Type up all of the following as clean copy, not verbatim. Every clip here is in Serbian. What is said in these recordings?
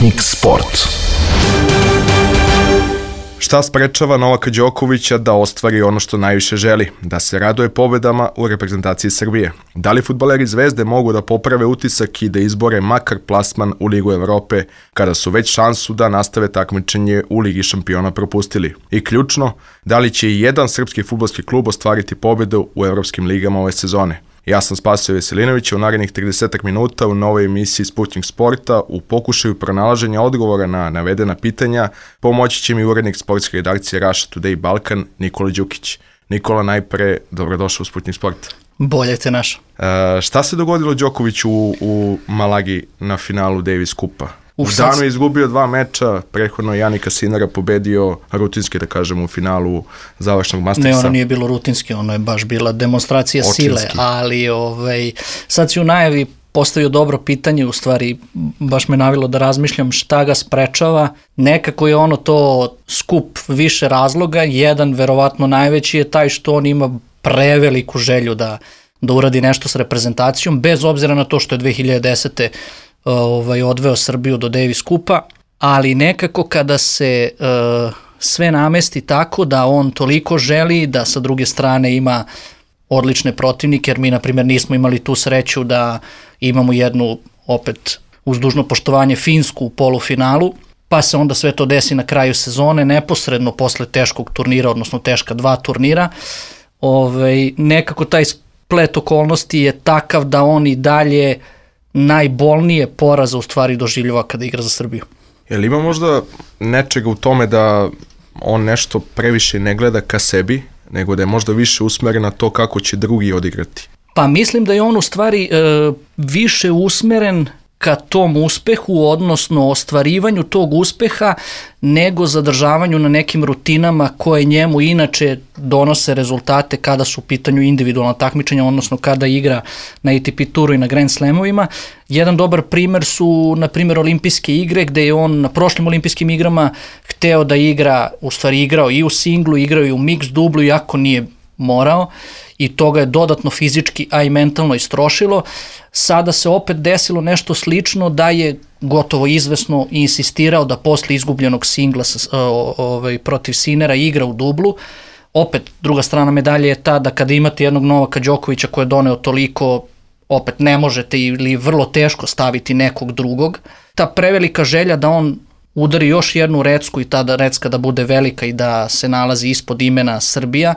Sputnik Sport. Šta sprečava Novaka Đokovića da ostvari ono što najviše želi, da se raduje pobedama u reprezentaciji Srbije? Da li fudbaleri Zvezde mogu da poprave utisak i da izbore makar plasman u Ligu Evrope, kada su već šansu da nastave takmičenje u Ligi šampiona propustili? I ključno, da li će i jedan srpski fudbalski klub ostvariti pobedu u evropskim ligama ove sezone? Ja sam Spasio Veselinović, u narednih 30 minuta u novoj emisiji Sputnik Sporta u pokušaju pronalaženja odgovora na navedena pitanja pomoći će mi urednik sportske redakcije Russia Today Balkan Nikola Đukić. Nikola, najpre, dobrodošao u Sputnik Sport. Bolje te našao. Šta se dogodilo Đokoviću u Malagi na finalu Davis Kupa? U danu je izgubio 2 meča, prethodno Janika Sinara pobedio rutinski, da kažem, u finalu završnog Mastersa. Ne, ono nije bilo rutinski, ono je baš bila demonstracija sile, ali sad si u najavi postavio dobro pitanje, u stvari baš me navilo da razmišljam šta ga sprečava. Nekako je ono to skup više razloga, jedan verovatno najveći je taj što on ima preveliku želju da uradi nešto s reprezentacijom, bez obzira na to što je 2010. Odveo Srbiju do Davis Kupa, ali nekako kada se sve namesti tako da on toliko želi, da sa druge strane ima odlične protivnike, jer mi na primjer nismo imali tu sreću da imamo jednu, opet uz dužno poštovanje, Finsku u polufinalu, pa se onda sve to desi na kraju sezone, neposredno posle teškog turnira, odnosno teška 2 turnira. Nekako taj splet okolnosti je takav da on i dalje najbolnije poraza u stvari doživljava kada igra za Srbiju. Jel ima možda nečega u tome da on nešto previše ne gleda ka sebi, nego da je možda više usmeren na to kako će drugi odigrati? Pa mislim da je on u stvari više usmeren ka tom uspehu, odnosno ostvarivanju tog uspeha, nego zadržavanju na nekim rutinama koje njemu inače donose rezultate kada su u pitanju individualna takmičenja, odnosno kada igra na ATP turu i na Grand Slamovima. Jedan dobar primer su, na primjer, olimpijske igre, gde je on na prošlim olimpijskim igrama hteo da igra, u stvari igrao i u singlu, igrao i u mix dublu, iako nije morao, i to ga je dodatno fizički, a i mentalno istrošilo. Sada se opet desilo nešto slično, da je gotovo izvesno insistirao da posle izgubljenog singla protiv Sinera igra u dublu. Opet, druga strana medalje je ta da kada imate jednog Novaka Đokovića koji je doneo toliko, opet ne možete ili vrlo teško staviti nekog drugog. Ta prevelika želja da on udari još jednu recku i ta recka da bude velika i da se nalazi ispod imena Srbija,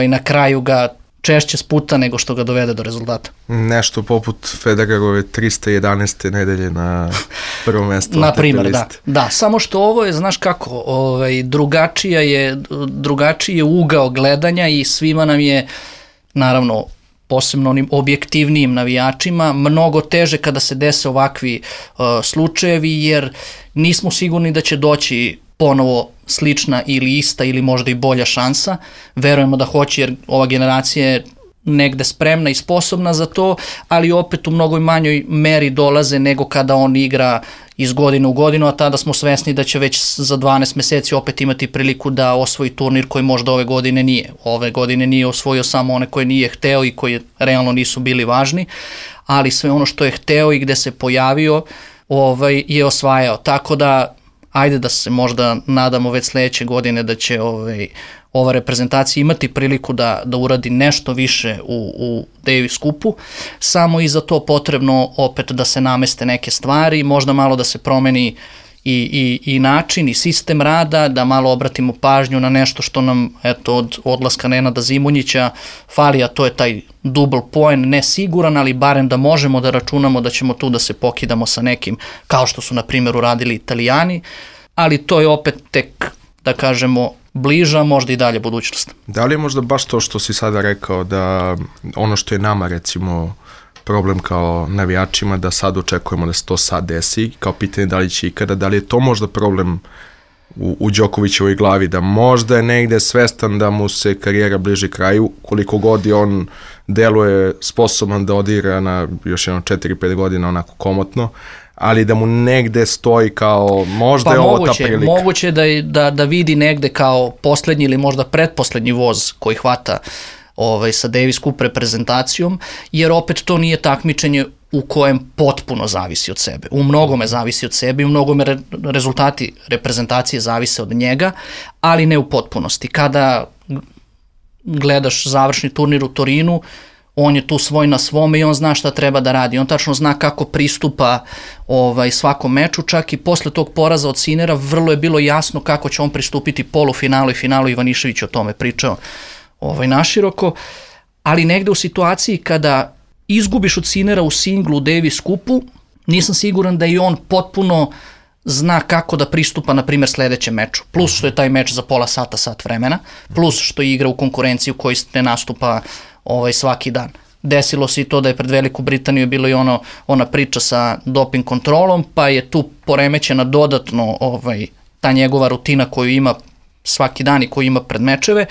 na kraju ga češće sputa nego što ga dovede do rezultata. Nešto poput Federerove 311. nedelje na prvo mesto. Na primjer, da. Samo što ovo je, znaš kako, drugačiji je ugao gledanja i svima nam je, naravno, posebno onim objektivnijim navijačima, mnogo teže kada se dese ovakvi slučajevi, jer nismo sigurni da će doći ponovo slična ili ista ili možda i bolja šansa. Verujemo da hoće, jer ova generacija je negde spremna i sposobna za to, ali opet u mnogo manjoj meri dolaze nego kada on igra iz godine u godinu, a tada smo svesni da će već za 12 meseci opet imati priliku da osvoji turnir koji možda ove godine nije. Ove godine nije osvojio samo one koje nije hteo i koji realno nisu bili važni, ali sve ono što je hteo i gde se pojavio je osvajao. Tako da ajde da se možda nadamo već sledeće godine da će ova reprezentacija imati priliku da uradi nešto više u Davis Kupu, samo i za to potrebno opet da se nameste neke stvari, možda malo da se promeni i način i sistem rada, da malo obratimo pažnju na nešto što nam od odlaska Nenada Zimonjića fali, a to je taj double point, ne siguran, ali barem da možemo da računamo da ćemo tu da se pokidamo sa nekim, kao što su na primjer uradili Italijani, ali to je opet tek, da kažemo, bliža, možda i dalje budućnost. Da li je možda baš to što si sada rekao, da ono što je nama recimo problem kao navijačima, da sad očekujemo da se to sad desi, kao pitanje da li će ikada, da li je to možda problem u Đokovićevoj glavi, da možda je negde svestan da mu se karijera bliži kraju, koliko god je on deluje sposoban da odigra na još jedno 4-5 godina onako komotno, ali da mu negde stoji kao možda je ovo ta prilika. Moguće da vidi negde kao poslednji ili možda pretposlednji voz koji hvata sa Davis Cup reprezentacijom, jer opet to nije takmičenje u kojem potpuno zavisi od sebe. U mnogome zavisi od sebe i u mnogome rezultati reprezentacije zavise od njega, ali ne u potpunosti. Kada gledaš završni turnir u Torinu, on je tu svoj na svome i on zna šta treba da radi. On tačno zna kako pristupa svakom meču, čak i posle tog poraza od Sinera vrlo je bilo jasno kako će on pristupiti polufinalu i finalu. Ivanišević o tome pričao naširoko, ali negde u situaciji kada izgubiš od Sinera u singlu u Davis Cupu, nisam siguran da i on potpuno zna kako da pristupa, na primjer, sledećem meču. Plus što je taj meč za pola sata, sat vremena, plus što igra u konkurenciju koji ne nastupa svaki dan. Desilo se i to da je pred Veliku Britaniju bilo i ona priča sa doping kontrolom, pa je tu poremećena dodatno ta njegova rutina koju ima svaki dan i koju ima pred mečeve,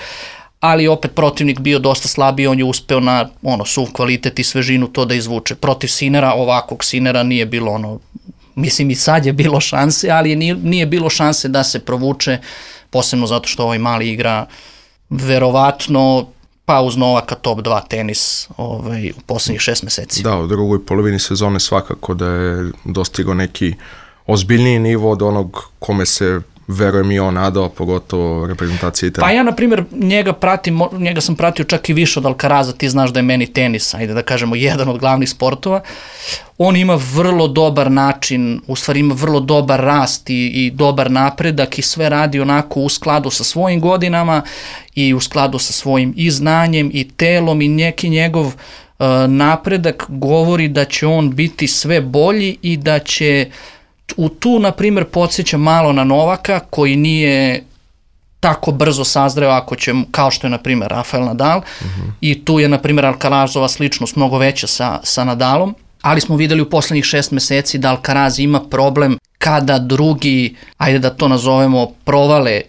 ali opet protivnik bio dosta slabiji, on je uspeo na suv kvalitet i svežinu to da izvuče. Protiv Sinera, ovakvog Sinera nije bilo mislim i sad je bilo šanse, ali nije bilo šanse da se provuče, posebno zato što ovaj mali igra verovatno pa uz Novaka top 2 tenis u poslednjih 6 meseci. Da, u drugoj polovini sezone svakako da je dostigao neki ozbiljniji nivo od onog kome se verujem i on nadao, pogotovo reprezentacije Italije. Pa ja, na primjer, njega sam pratio čak i više od Alcaraza, ti znaš da je meni tenis, ajde da kažemo, jedan od glavnih sportova. On ima vrlo dobar način, u stvari ima vrlo dobar rast i dobar napredak i sve radi onako u skladu sa svojim godinama i u skladu sa svojim i znanjem i telom i neki njegov napredak govori da će on biti sve bolji i da će tu, na primjer, podsjeća malo na Novaka, koji nije tako brzo sazreo ako će, kao što je, na primjer, Rafael Nadal, i tu je, na primjer, Alcarazova sličnost mnogo veća sa Nadalom, ali smo videli u poslednjih 6 meseci da Alcaraz ima problem kada drugi, ajde da to nazovemo, provale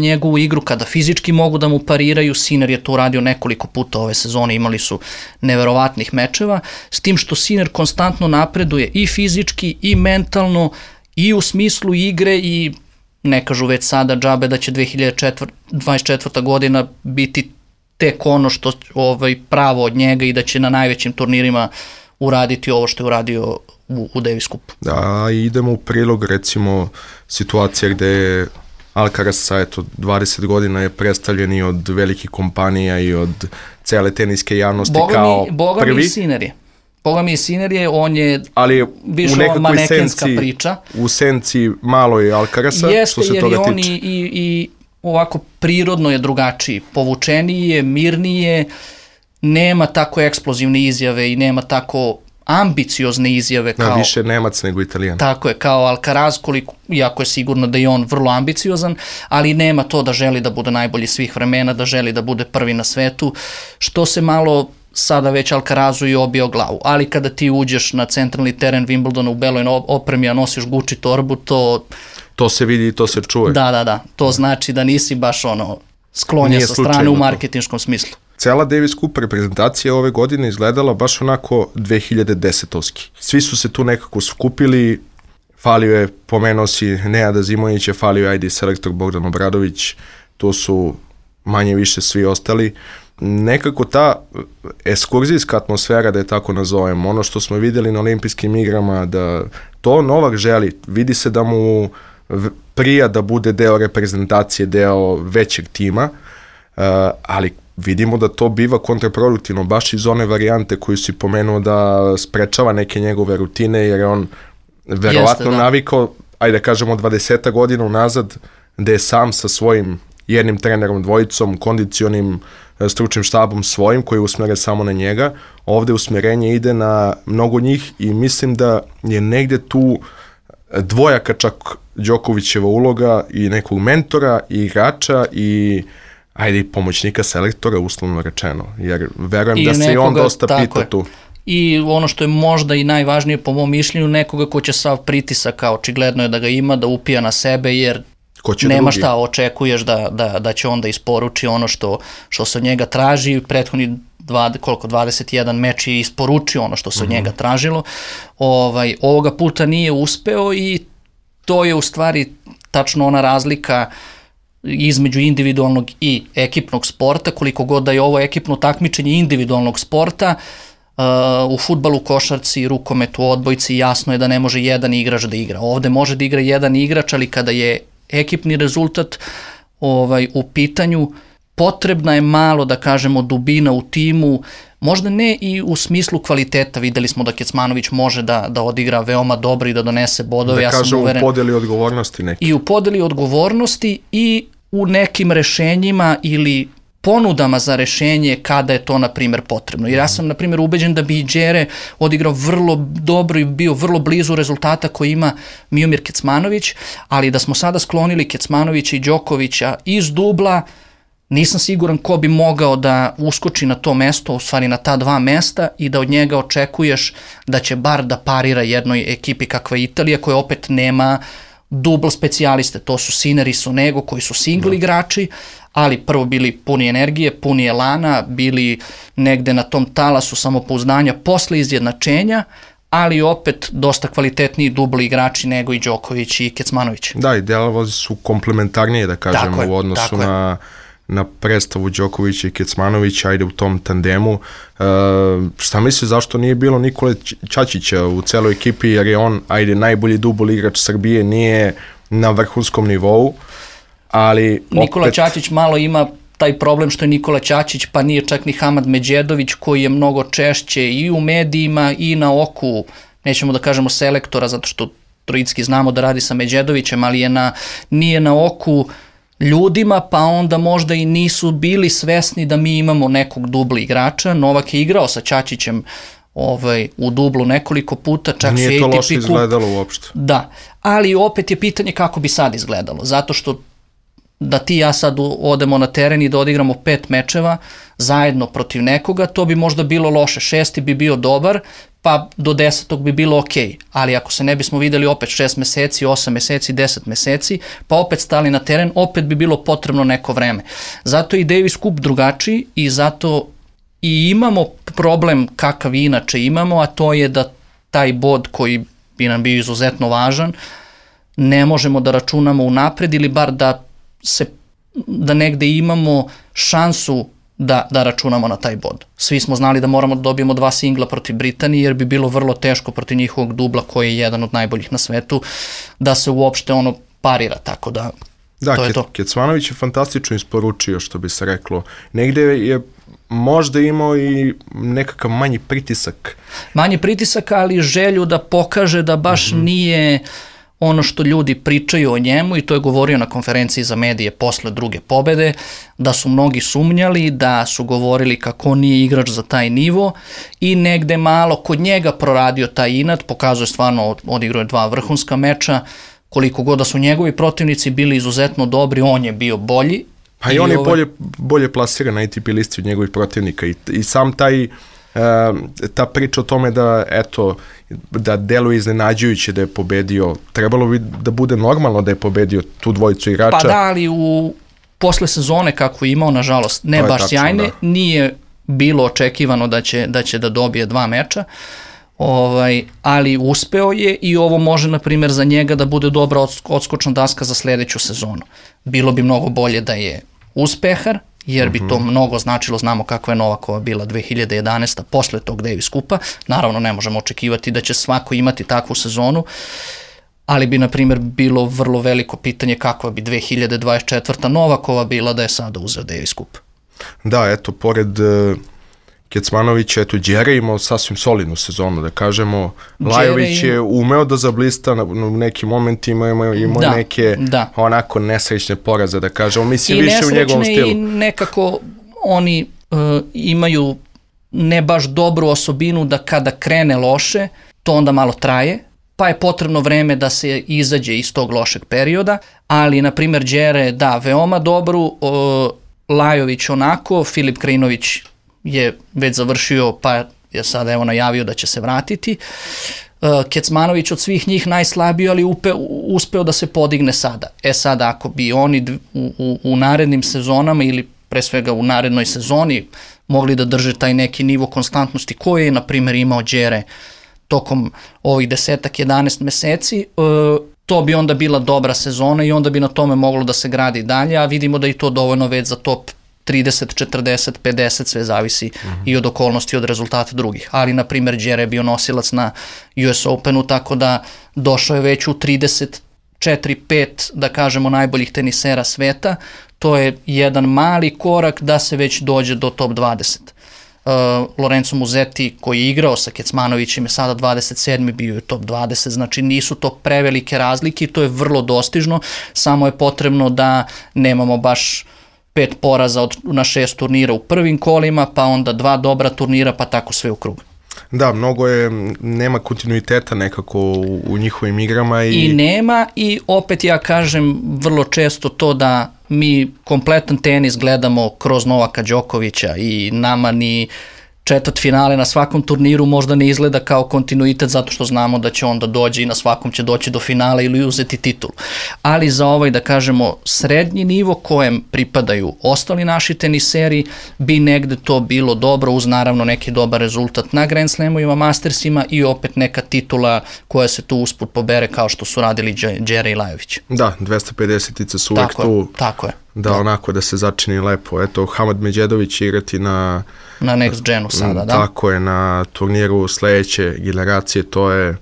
njegovu igru, kada fizički mogu da mu pariraju. Sinner je to uradio nekoliko puta ove sezone, imali su neverovatnih mečeva, s tim što Sinner konstantno napreduje i fizički i mentalno i u smislu igre i ne kažu već sada džabe da će 2024. godina biti tek ono što pravo od njega i da će na najvećim turnirima uraditi ovo što je uradio u Davis Cupu. Da, idemo u prilog, recimo, situacija gde je Alcaraz sa 20 godina je predstavljen i od velikih kompanija i od cele teniske javnosti kao prvi. Boga mi Sinner je, on je više ova manekenska priča. U senci malo je Alcaraza, što se toga tiče. Jeste, jer je on i ovako prirodno je drugačiji, povučeniji je, mirniji je, nema tako eksplozivne izjave i nema tako ambiciozne izjave kao... više Nemac nego Italijan. Tako je, kao Alcaraz, iako je sigurno da je on vrlo ambiciozan, ali nema to da želi da bude najbolji svih vremena, da želi da bude prvi na svetu, što se malo sada već Alcarazu i obio glavu. Ali kada ti uđeš na centralni teren Wimbledona u beloj opremi, a nosiš Gucci torbu, to se vidi i to se čuje. Da, to znači da nisi baš sklonjen sa strane u marketinškom smislu. Cela Davis Cup reprezentacija ove godine izgledala baš onako 2010-ovski. Svi su se tu nekako skupili, falio je, pomenuo si Nenada Zimovića, falio je ID selektor Bogdan Obradović, tu su manje više svi ostali. Nekako ta ekskurzijska atmosfera, da je tako nazovem, ono što smo vidjeli na olimpijskim igrama, da to Novak želi, vidi se da mu prija da bude deo reprezentacije, deo većeg tima, ali vidimo da to biva kontraproduktivno, baš iz one varijante koju si pomenuo da sprečava neke njegove rutine, jer je on verovatno navikao, ajde da kažemo 20 godina unazad, da je sam sa svojim jednim trenerom, dvojicom, kondicionim stručnim štabom svojim, koji usmere samo na njega. Ovde usmerenje ide na mnogo njih i mislim da je negde tu dvojaka čak Đokovićeva uloga i nekog mentora i igrača i pomoćnika selektora, uslovno rečeno, jer verujem da se i on dosta pita tu. I ono što je možda i najvažnije po mom mišljenju, nekoga ko će sav pritisak, a očigledno je da ga ima, da upija na sebe, jer nema šta, očekuješ da će onda isporuči ono što se od njega traži. Prethodni 21 meč je isporučio ono što se od njega tražilo. Ovoga puta nije uspeo i to je u stvari tačno ona razlika između individualnog i ekipnog sporta, koliko god da je ovo ekipno takmičenje individualnog sporta, u fudbalu, košarci, rukometu, odbojci jasno je da ne može jedan igrač da igra. Ovde može da igra jedan igrač, ali kada je ekipni rezultat u pitanju, potrebna je malo, da kažemo, dubina u timu, možda ne i u smislu kvaliteta. Videli smo da Kecmanović može da odigra veoma dobro i da donese bodove. Da kažem, u podeli odgovornosti neki. I u podeli odgovornosti i u nekim rešenjima ili ponudama za rešenje kada je to, na primjer, potrebno. Jer ja sam, na primjer, ubeđen da bi Đere odigrao vrlo dobro i bio vrlo blizu rezultata koji ima Miomir Kecmanović, ali da smo sada sklonili Kecmanovića i Đokovića iz dubla, nisam siguran ko bi mogao da uskoči na to mesto, u stvari na ta dva mesta, i da od njega očekuješ da će bar da parira jednoj ekipi kakva je Italija, koja opet nema dubl specijaliste. To su Sinner i Sonego koji su single igrači, ali prvo bili puni energije, puni elana, bili negde na tom talasu samopouzdanja posle izjednačenja, ali opet dosta kvalitetniji dubli igrači nego i Đoković i Kecmanović. Da, i delovi su komplementarnije, da kažemo, u odnosu na predstavu Đokovića i Kecmanovića, ajde u tom tandemu. Šta misliš, zašto nije bilo Nikole Čačića u celoj ekipi, jer je on, ajde, najbolji dubl igrač Srbije, nije na vrhunskom nivou, ali Nikola Čačić malo ima taj problem što je Nikola Čačić, pa nije čak ni Hamad Međedović, koji je mnogo češće i u medijima i na oku, nećemo da kažemo selektora, zato što Trojicki znamo da radi sa Međedovićem, ali nije na oku ljudima, pa onda možda i nisu bili svesni da mi imamo nekog dubla igrača. Novak je igrao sa Čačićem u dublu nekoliko puta, čak nije to loše izgledalo uopšte. Da, ali opet je pitanje kako bi sad izgledalo, zato što da ti ja sad odemo na teren i da odigramo 5 mečeva zajedno protiv nekoga, to bi možda bilo loše. 6. bi bio dobar, pa do 10. bi bilo okej. Ali ako se ne bismo videli opet 6 meseci, 8 meseci, 10 meseci, pa opet stali na teren, opet bi bilo potrebno neko vreme. Zato je i Davis Cup drugačiji i zato i imamo problem kakav inače imamo, a to je da taj bod koji bi nam bio izuzetno važan, ne možemo da računamo unapred ili bar da negde imamo šansu da računamo na taj bod. Svi smo znali da moramo da dobijemo 2 singla protiv Britanije, jer bi bilo vrlo teško protiv njihovog dubla, koji je jedan od najboljih na svetu, da se uopšte parira, tako da to je to. Kecmanović je fantastično isporučio, što bi se reklo. Negde je možda imao i nekakav manji pritisak. Manji pritisak, ali želju da pokaže da baš nije ono što ljudi pričaju o njemu, i to je govorio na konferenciji za medije posle druge pobede, da su mnogi sumnjali, da su govorili kako nije igrač za taj nivo, i negde malo kod njega proradio taj inat, pokazuje stvarno, odigrao je 2 vrhunska meča, koliko god da su njegovi protivnici bili izuzetno dobri, on je bio bolji. Pa i on je bolje plasiran na ATP listi od njegovih protivnika, i sam ta priča o tome da deluje iznenađujuće da je pobedio, trebalo bi da bude normalno da je pobedio tu dvojicu igrača. Pa da, ali posle sezone kako je imao, nažalost, ne baš sjajne, nije bilo očekivano da će da dobije 2 meča, ali uspeo je, i ovo može, na primjer, za njega da bude dobra odskočna daska za sledeću sezonu. Bilo bi mnogo bolje da je uspehar, jer bi to mnogo značilo. Znamo kakva je Novakova bila 2011. posle tog Davis Cupa. Naravno, ne možemo očekivati da će svako imati takvu sezonu, ali bi, na primjer, bilo vrlo veliko pitanje kakva bi 2024. Novakova bila da je sada uzeo Davis Cup. Da, eto, pored Kecmanovića, Đere imao sasvim solidnu sezonu, da kažemo. Lajović je umeo da zablista u nekim momentima, imao neke onako nesrećne poraze, da kažemo. Mislim, više u njegovom stilu. I nekako oni imaju ne baš dobru osobinu da kada krene loše, to onda malo traje, pa je potrebno vreme da se izađe iz tog lošeg perioda, ali, na primjer, Đere, da, veoma dobru, Lajović onako, Filip Krajinović je već završio, pa je sada evo najavio da će se vratiti. Kecmanović od svih njih najslabiji, ali uspeo da se podigne sada. Sada, ako bi oni u narednim sezonama, ili pre svega u narednoj sezoni, mogli da drže taj neki nivo konstantnosti koji je, na primjer, imao Đere tokom ovih 10-11 meseci, to bi onda bila dobra sezona i onda bi na tome moglo da se gradi dalje, a vidimo da i to dovoljno već za top 30, 40, 50, sve zavisi i od okolnosti, od rezultata drugih. Ali, na primjer, Đere je bio nosilac na US Openu, tako da došao je već u 34-5, da kažemo, najboljih tenisera sveta. To je jedan mali korak da se već dođe do top 20. Lorenzo Musetti, koji je igrao sa Kecmanovićem, je sada 27. bio je top 20, znači nisu to prevelike razlike i to je vrlo dostižno, samo je potrebno da nemamo baš 5 poraza na 6 turnira u prvim kolima, pa onda 2 dobra turnira, pa tako sve u krug. Da, nema kontinuiteta nekako u njihovim igrama. I nema, i opet ja kažem vrlo često to da mi kompletan tenis gledamo kroz Novaka Đokovića i nama ni četvrtfinale na svakom turniru možda ne izgleda kao kontinuitet zato što znamo da će onda doći i na svakom će doći do finala ili uzeti titul. Ali za ovaj, da kažemo, srednji nivo kojem pripadaju ostali naši teniseri bi negde to bilo dobro uz naravno neki dobar rezultat na Grand Slamovima, Mastersima i opet neka titula koja se tu usput pobere kao što su radili Đere i Lajović. Da, 250-ice su uvek tu. Tako je. Da, onako da se začini lepo. Eto, Hamad Medjedović će igrati na Next Genu sada, da? Tako je, na turniru sledeće generacije, to je,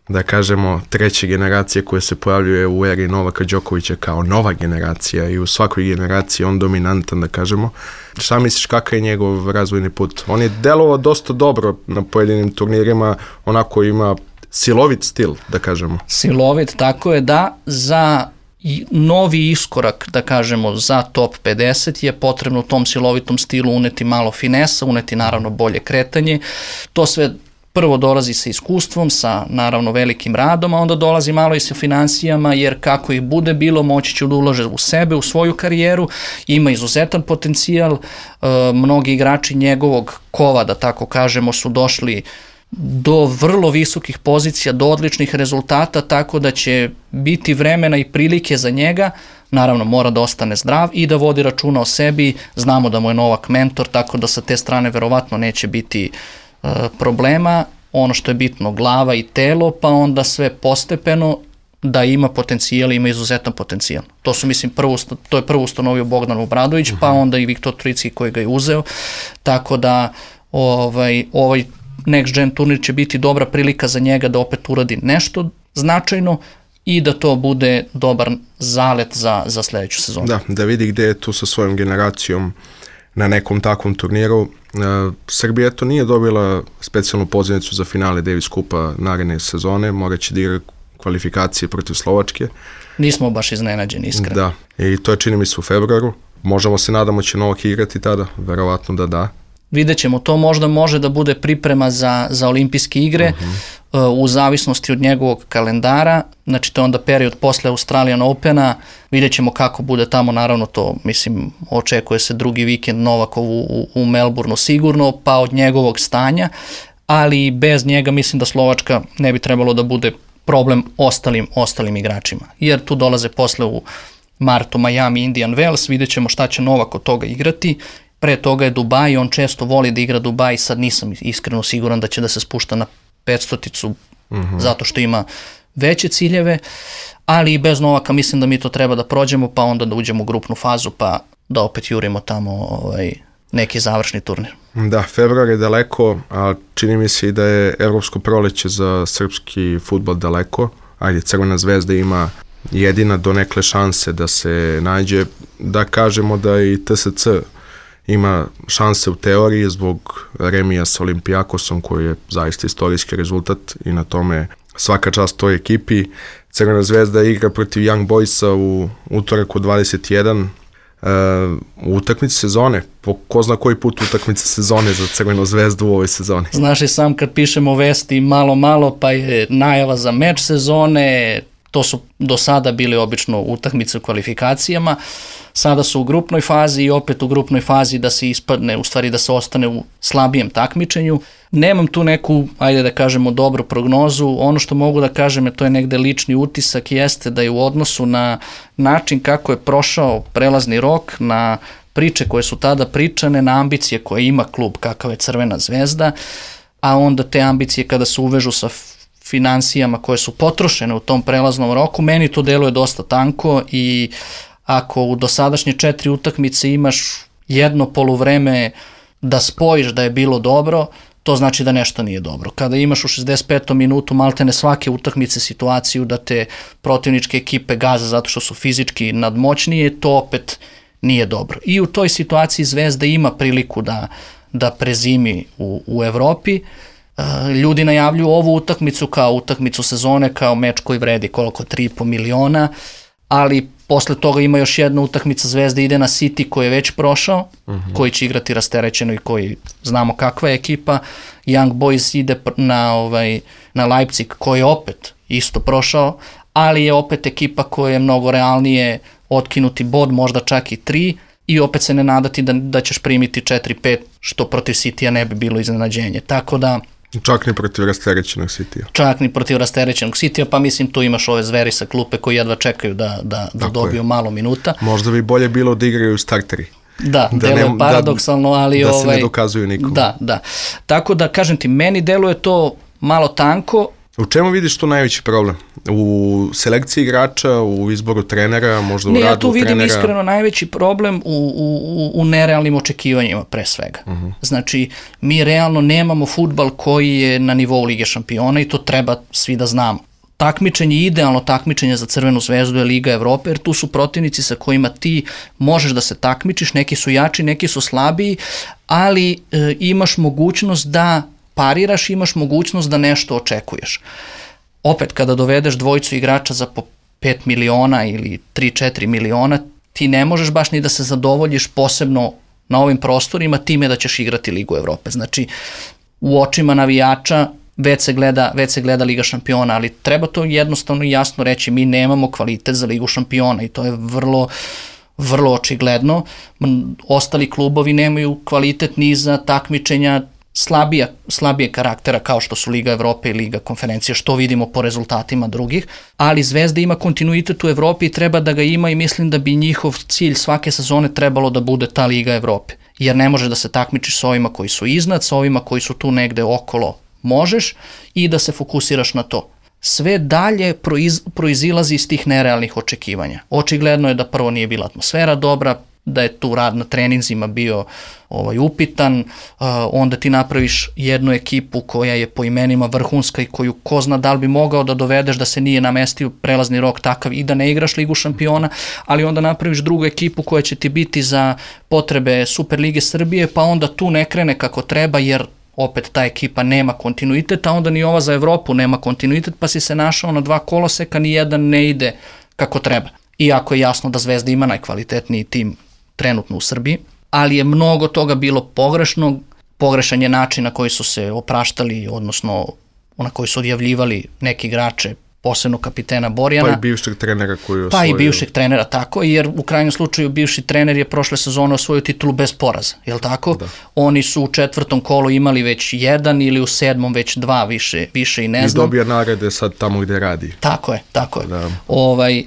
da kažemo, treća generacija koja se pojavljuje u eri Novaka Đokovića kao nova generacija i u svakoj generaciji on dominantan, da kažemo. Šta misliš, kakav je njegov razvojni put? On je delovao dosta dobro na pojedinim turnirima, onako ima silovit stil, da kažemo. Silovit, tako je, da, za novi iskorak, da kažemo, za top 50 je potrebno u tom silovitom stilu uneti malo finesa, uneti naravno bolje kretanje. To sve prvo dolazi sa iskustvom, sa naravno velikim radom, a onda dolazi malo i sa financijama, jer kako ih bude bilo, moći će da ulaže u sebe, u svoju karijeru, ima izuzetan potencijal, mnogi igrači njegovog kova, da tako kažemo, su došli do vrlo visokih pozicija, do odličnih rezultata, tako da će biti vremena i prilike za njega. Naravno, mora da ostane zdrav i da vodi računa o sebi. Znamo da mu je Novak mentor, tako da sa te strane verovatno neće biti problema. Ono što je bitno, glava i telo, pa onda sve postepeno, da ima potencijal, ima izuzetan potencijal. To su, mislim, to je prvo ustanovio Bogdan Obradović, pa onda i Viktor Tricki koji ga je uzeo, tako da ovaj Next Gen turnir će biti dobra prilika za njega da opet uradi nešto značajno i da to bude dobar zalet za sledeću sezonu. Da vidi gde je tu sa svojom generacijom na nekom takvom turniru. Srbija to nije dobila specijalnu pozivnicu za finale Davis Kupa naredne sezone, moraće da igra kvalifikacije protiv Slovačke. Nismo baš iznenađeni, iskreno. Da, i to je, čini mi se, u februaru. Možemo se nadamo će Novak igrati tada, verovatno da. Vidjet ćemo, to možda može da bude priprema za olimpijske igre u zavisnosti od njegovog kalendara, znači to je onda period posle Australian Opena, vidjet ćemo kako bude tamo, naravno to, mislim, očekuje se drugi vikend Novakov u Melbourneu sigurno, pa od njegovog stanja, ali bez njega mislim da Slovačka ne bi trebalo da bude problem ostalim igračima, jer tu dolaze posle u martu Miami, Indian Wells, vidjet ćemo šta će Novak od toga igrati. Pre toga je Dubaj, on često voli da igra Dubaj, sad nisam iskreno siguran da će da se spušta na 500-ticu zato što ima veće ciljeve, ali i bez Novaka mislim da mi to treba da prođemo, pa onda da uđemo u grupnu fazu, pa da opet jurimo tamo neki završni turnir. Da, februar je daleko, a čini mi se i da je evropsko proleće za srpski fudbal daleko. Ajde, Crvena zvezda ima jedina donekle šanse da se nađe, da kažemo da i TSC ima šanse u teoriji zbog remija sa Olimpijakosom koji je zaista istorijski rezultat i na tome svaka čast toj ekipi. Crvena zvezda igra protiv Young Boysa u utorak u 21 u utakmici sezone. Po ko zna koji put utakmica sezone za Crvenu zvezdu u ovoj sezoni. Znaš i sam kad pišemo vesti malo pa je najava za meč sezone, to su do sada bili obično utakmice u kvalifikacijama, sada su u grupnoj fazi i opet u grupnoj fazi da se ispadne, u stvari da se ostane u slabijem takmičenju. Nemam tu neku, ajde da kažemo, dobru prognozu, ono što mogu da kažem je to je negde lični utisak, jeste da je u odnosu na način kako je prošao prelazni rok, na priče koje su tada pričane, na ambicije koje ima klub kakav je Crvena zvezda, a onda te ambicije kada se uvežu sa finansijama koje su potrošene u tom prelaznom roku, meni to deluje dosta tanko i ako u dosadašnje 4 utakmice imaš jedno poluvreme da spojiš da je bilo dobro, to znači da nešto nije dobro. Kada imaš u 65. minutu maltene svake utakmice situaciju da te protivničke ekipe gaze zato što su fizički nadmoćnije, to opet nije dobro. I u toj situaciji Zvezda ima priliku da prezimi u Evropi. Ljudi najavljuju ovu utakmicu kao utakmicu sezone, kao meč koji vredi koliko 3,5 miliona, ali posle toga ima još jedna utakmica, Zvezda ide na City koji je već prošao, koji će igrati rasterećeno i koji znamo kakva je ekipa. Young Boys ide na Leipzig koji je opet isto prošao, ali je opet ekipa koja je mnogo realnije otkinuti bod, možda čak i 3, i opet se ne nadati da ćeš primiti 4-5, što protiv Citya ne bi bilo iznenađenje. Tako da... Čak ni protiv rasterećenog Citya. Čak ni protiv rasterećenog Citya, pa mislim tu imaš ove zveri sa klupe koji jedva čekaju da dobiju malo minuta. Možda bi bolje bilo da igraju starteri. Da, deluje paradoksalno, ali... Da se ne dokazuju nikom. Da. Tako da, kažem ti, meni deluje to malo tanko. U čemu vidiš tu najveći problem? U selekciji igrača, u izboru trenera, možda u radu trenera? Ja tu vidim iskreno najveći problem u nerealnim očekivanjima pre svega. Znači, mi realno nemamo fudbal koji je na nivou Lige šampiona i to treba svi da znamo. Takmičenje, idealno takmičenje za Crvenu zvezdu je Liga Evrope, jer tu su protivnici sa kojima ti možeš da se takmičiš, neki su jači, neki su slabiji, ali imaš mogućnost da pariraš, imaš mogućnost da nešto očekuješ. Opet, kada dovedeš dvojicu igrača za po 5 miliona ili 3-4 miliona, ti ne možeš baš ni da se zadovoljiš posebno na ovim prostorima time da ćeš igrati Ligu Evrope. Znači, u očima navijača već se gleda Liga šampiona, ali treba to jednostavno i jasno reći, mi nemamo kvalitet za Ligu šampiona i to je vrlo očigledno. Ostali klubovi nemaju kvalitet ni za takmičenja slabije karaktera kao što su Liga Evrope i Liga konferencije, što vidimo po rezultatima drugih, ali Zvezda ima kontinuitet u Evropi i treba da ga ima i mislim da bi njihov cilj svake sezone trebalo da bude ta Liga Evrope, jer ne može da se takmičiš s ovima koji su iznad, s ovima koji su tu negde okolo možeš i da se fokusiraš na to. Sve dalje proizilazi iz tih nerealnih očekivanja. Očigledno je da prvo nije bila atmosfera dobra, da je tu rad na treninzima bio upitan, onda ti napraviš jednu ekipu koja je po imenima vrhunska i koju ko zna da li bi mogao da dovedeš da se nije namestio prelazni rok takav i da ne igraš Ligu šampiona, ali onda napraviš drugu ekipu koja će ti biti za potrebe Super Lige Srbije, pa onda tu ne krene kako treba jer opet ta ekipa nema kontinuitet, a onda ni ova za Evropu nema kontinuitet, pa si se našao na 2 koloseka, ni jedan ne ide kako treba. Iako je jasno da Zvezda ima najkvalitetniji tim trenutno u Srbiji, ali je mnogo toga bilo pogrešno, pogrešan je način na koji su se opraštali, odnosno na koji su odjavljivali neki igrače, posebno kapitena Borjana. Pa i bivšeg trenera koji je osvojio. Pa i bivšeg trenera, tako, jer u krajnjem slučaju bivši trener je prošle sezone osvojio titulu bez poraza, je li tako? Da. Oni su u 4. kolu imali već 1 ili u 7. već 2 više i ne znam. I dobija nagrade sad tamo gde radi. Tako je. Da.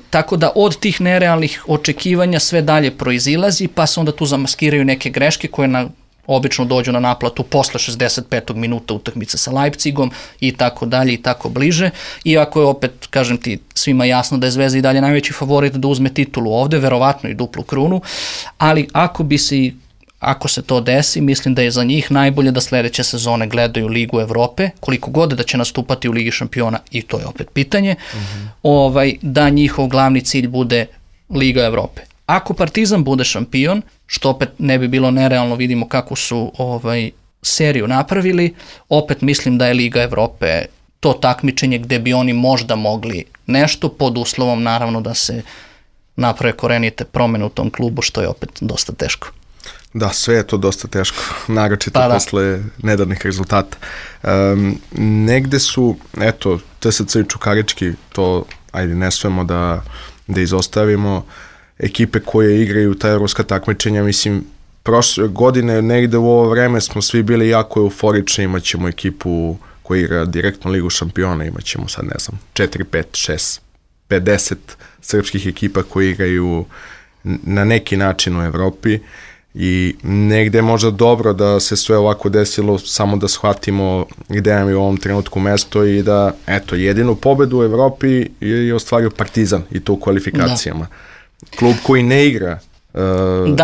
Tako da od tih nerealnih očekivanja sve dalje proizilazi, pa se onda tu zamaskiraju neke greške koje obično dođu na naplatu posle 65. minuta utakmice sa Leipzigom i tako dalje i tako bliže. Iako je opet, kažem ti, svima jasno da je Zvezda i dalje najveći favorit da uzme titulu ovde, verovatno i duplu krunu, ali ako se to desi, mislim da je za njih najbolje da sledeće sezone gledaju Ligu Evrope, koliko god da će nastupati u Ligi šampiona, i to je opet pitanje, da njihov glavni cilj bude Liga Evrope. Ako Partizan bude šampion, što opet ne bi bilo nerealno, vidimo kako su seriju napravili, opet mislim da je Liga Evrope to takmičenje gde bi oni možda mogli nešto, pod uslovom naravno da se naprave korenite promene u tom klubu, što je opet dosta teško. Da, sve je to dosta teško, naročito posle nedavnih rezultata. Negde su, eto, TSC i Čukarički, to, ajde, ne smemo da izostavimo, ekipe koje igraju ta evropska takmičenja, mislim, prošle godine negde u ovo vreme smo svi bili jako euforični, imat ćemo ekipu koja igra direktno Ligu šampiona, imat ćemo sad, ne znam, 4, 5, 6, 50 srpskih ekipa koji igraju na neki način u Evropi I negde je možda dobro da se sve ovako desilo, samo da shvatimo gde nam je u ovom trenutku mesto i da, eto, jedinu pobedu u Evropi je ostvario Partizan i to u kvalifikacijama. Klub koji ne igra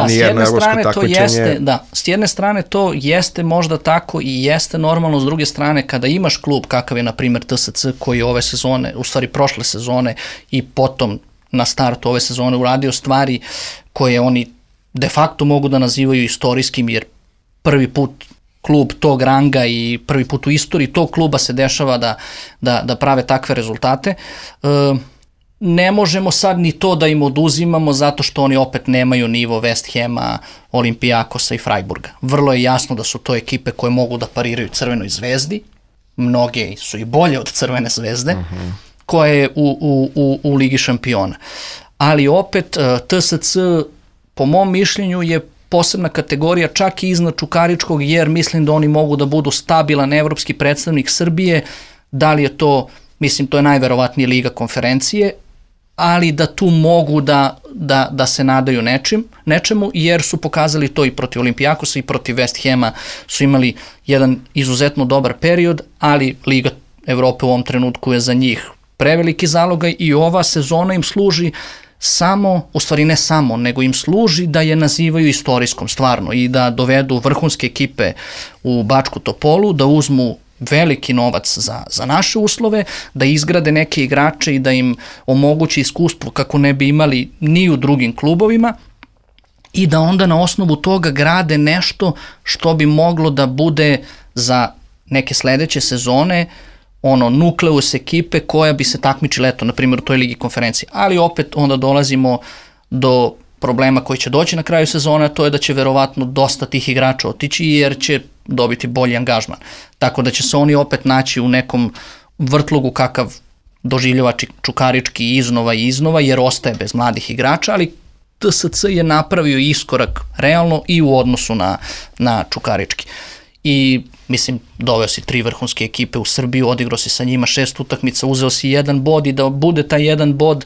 nijedno evropsko takmičenje. S jedne strane to jeste možda tako i jeste normalno, s druge strane kada imaš klub kakav je na primjer TSC koji ove sezone, u stvari prošle sezone i potom na startu ove sezone uradio stvari koje oni de facto mogu da nazivaju istorijskim, jer prvi put klub tog ranga i prvi put u istoriji tog kluba se dešava da prave takve rezultate. Ne možemo sad ni to da im oduzimamo zato što oni opet nemaju nivo West Hama, Olimpijakosa i Freiburga. Vrlo je jasno da su to ekipe koje mogu da pariraju Crvenoj zvezdi, mnoge su i bolje od Crvene zvezde, koja je u Ligi šampiona. Ali opet TSC po mom mišljenju je posebna kategorija čak i iznad Čukaričkog, jer mislim da oni mogu da budu stabilan evropski predstavnik Srbije. Da li je to, mislim to je najverovatnije Liga konferencije, ali da tu mogu da se nadaju nečemu, jer su pokazali to i protiv Olimpijakosa i protiv West Hama su imali jedan izuzetno dobar period, ali Liga Evrope u ovom trenutku je za njih preveliki zalogaj i ova sezona im služi samo, u stvari ne samo, nego im služi da je nazivaju istorijskom stvarno i da dovedu vrhunske ekipe u Bačku Topolu, da uzmu veliki novac za naše uslove, da izgrade neke igrače i da im omogući iskustvo kako ne bi imali ni u drugim klubovima i da onda na osnovu toga grade nešto što bi moglo da bude za neke sledeće sezone nukleus ekipe koja bi se takmičila, eto, na primjer u toj Ligi konferencije. Ali opet onda dolazimo do problema koji će doći na kraju sezona, to je da će verovatno dosta tih igrača otići jer će dobiti bolji angažman. Tako da će se oni opet naći u nekom vrtlogu kakav doživljava Čukarički iznova, jer ostaje bez mladih igrača, ali TSC je napravio iskorak realno i u odnosu na Čukarički. I mislim, doveo si 3 vrhunske ekipe u Srbiju, odigrao si sa njima 6 utakmica, uzeo si 1 bod i da bude taj 1 bod,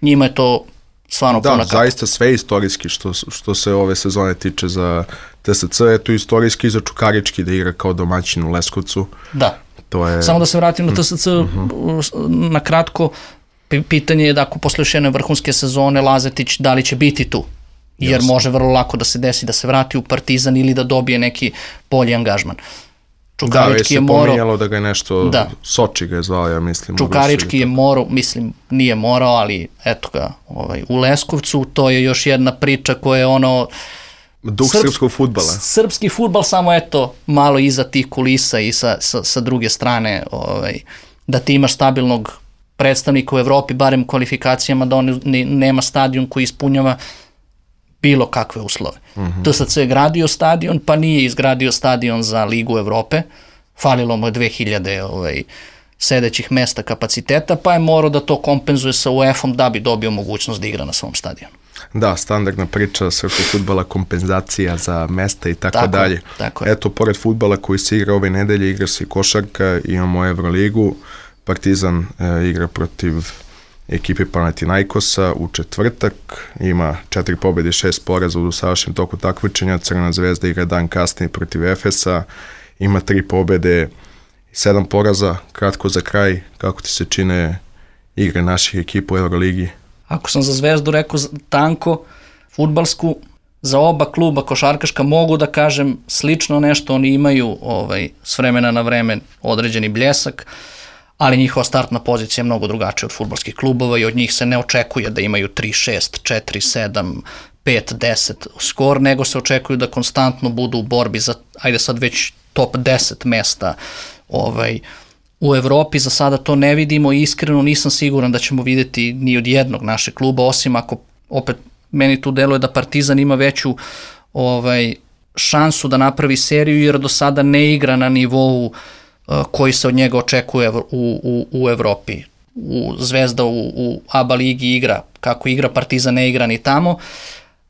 njima je to stvarno puna kapa. Da, zaista sve istorijski što se ove sezone tiče za TSC, je to istorijski za Čukarički da igra kao domaćin u Leskovcu. Da, samo da se vratim na TSC na kratko, pitanje je da ako posle još jedne vrhunske sezone Lazetić da li će biti tu, jer može vrlo lako da se desi da se vrati u Partizan ili da dobije neki bolji angažman. Čukarički je pominjalo da ga je nešto, Soči ga je zvao, ja mislim. Čukarički je morao, mislim, nije morao, ali eto ga, u Leskovcu, to je još jedna priča koja je duh srpskog fudbala. Srpski fudbal, samo eto, malo iza tih kulisa i sa druge strane, da ti imaš stabilnog predstavnika u Evropi, barem u kvalifikacijama, da on nema stadion koji ispunjava bilo kakve uslove. TSC je gradio stadion, pa nije izgradio stadion za Ligu Evrope, falilo mu je 2000 sedećih mesta kapaciteta, pa je morao da to kompenzuje sa UEFA-om da bi dobio mogućnost da igra na svom stadionu. Da, standardna priča srpskog fudbala, kompenzacija za mesta i tako dalje. Eto, pored fudbala koji se igra ove nedelje, igra se i košarka, imamo Euroligu, Partizan igra protiv ekipe Panathinaikosa u četvrtak, ima 4 pobjede i 6 poraza u dosadašnjem toku takmičenja. Crvena zvezda igra dan kasnije protiv Efesa, ima 3 pobjede i 7 poraza. Kratko za kraj, kako ti se čine igre naših ekipa u Euroligi? Ako sam za Zvezdu rekao tanko, fudbalsku, za oba kluba košarkaška mogu da kažem slično nešto, oni imaju s vremena na vreme određeni bljesak, ali njihova startna pozicija je mnogo drugačija od fudbalskih klubova i od njih se ne očekuje da imaju 3-6, 4-7, 5-10 skor, nego se očekuju da konstantno budu u borbi za, ajde sad već top 10 mesta u Evropi. Za sada to ne vidimo i iskreno nisam siguran da ćemo vidjeti ni od jednog našeg kluba, osim ako opet meni tu deluje da Partizan ima veću šansu da napravi seriju, jer do sada ne igra na nivou koji se od njega očekuje u Evropi. Zvezda u ABA ligi igra kako igra, Partizan ne igra ni tamo,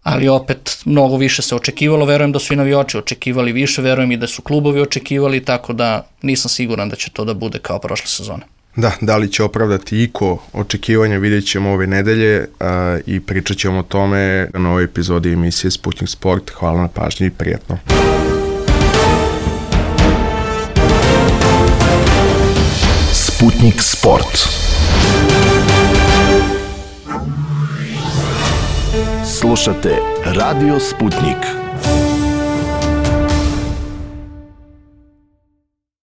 ali opet mnogo više se očekivalo, verujem da su i navijači očekivali više, verujem i da su klubovi očekivali, tako da nisam siguran da će to da bude kao prošle sezone. Da li će opravdati iko očekivanja, vidjet ćemo ove nedelje i pričat ćemo o tome na novoj epizodi emisije Sputnik Sport. Hvala na pažnji i prijatno. Sputnik Sport. Slušate Radio Sputnik.